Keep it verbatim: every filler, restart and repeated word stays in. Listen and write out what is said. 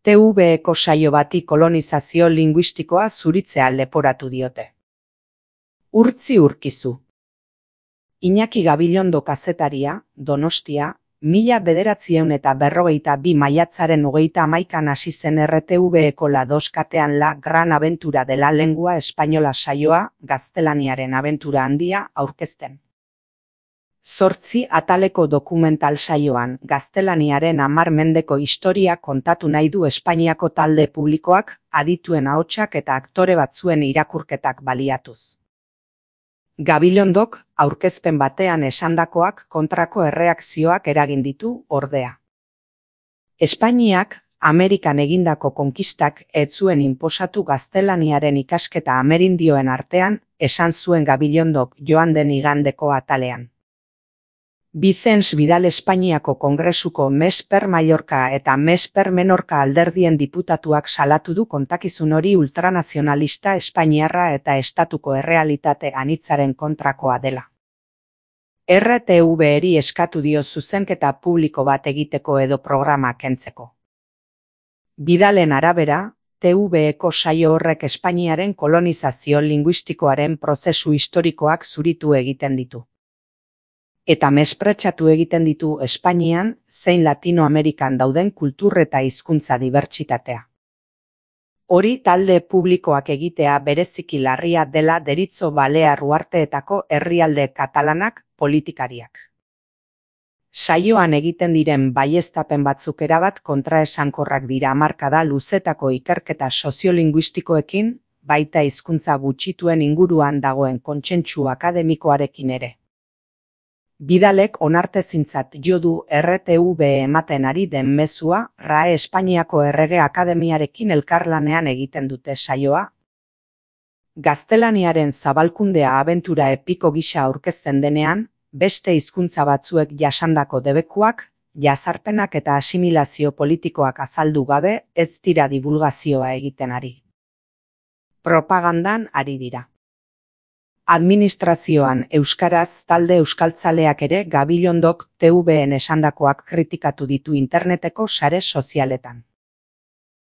T V eko saio bati kolonizazio linguistikoa zuritzea leporatu diote. Urtzi Urkizu. Iñaki Gabilondo kazetaria, Donostia, mila bederatziehun eta berrogeita bi maiatzaren hogeita hamaikan hasi zen R T V eko La dos katean La Gran Aventura de la Lengua Española saioa, gaztelaniaren abentura handia, aurkezten. Zortzi ataleko dokumental saioan, gaztelaniaren hamar mendeko historia kontatu nahi du Espainiako talde publikoak, adituen ahotsak eta aktore batzuen irakurketak baliatuz. Gabilondok, aurkezpen batean esandakoak kontrako erreakzioak eragin ditu, ordea. Espainiak, Amerikan egindako konkistak ez zuen inposatu gaztelaniaren ikasketa amerindioen artean, esan zuen Gabilondok joan den igandeko atalean. Vicens Vidal Espainiako Kongresuko Mes per Mallorca eta Mes per Menorca alderdien diputatuak salatu du kontakizun hori ultranazionalista espainiarra eta estatuko errealitate anitzaren kontrakoa dela. R T V eri eskatu dio zuzenketa publiko bat egiteko edo programa kentzeko. Vidalen arabera, T V eko saio horrek Espainiaren kolonizazio linguistikoaren prozesu historikoak zuritu egiten ditu. Eta mespretxatu egiten ditu Espainian zein Latinoamerikan dauden kultur eta hizkuntza dibertsitatea. Hori talde publikoak egitea bereziki larria dela deritzo Balear uharteetako herrialde katalanak politikariak. Saioan egiten diren baieztapen batzuk erabat kontraesankorrak dira hamarkada luzetako ikerketa soziolinguistikoekin, baita hizkuntza gutxituen inguruan dagoen kontsentsu akademikoarekin ere. Vidalek onartezintzat jo du R T V ematen ari den mezua R A E Espainiako Errege Akademiarekin elkarlanean egiten dute saioa. Gaztelaniaren zabalkundea abentura epiko gisa aurkezten denean, beste hizkuntza batzuek jasandako debekuak, jazarpenak eta asimilazio politikoak azaldu gabe ez dira divulgazioa egiten ari. Propagandan ari dira. Administrazioan euskaraz talde euskaltzaleak ere Gabilondok T V en esandakoak kritikatu ditu interneteko sare sozialetan.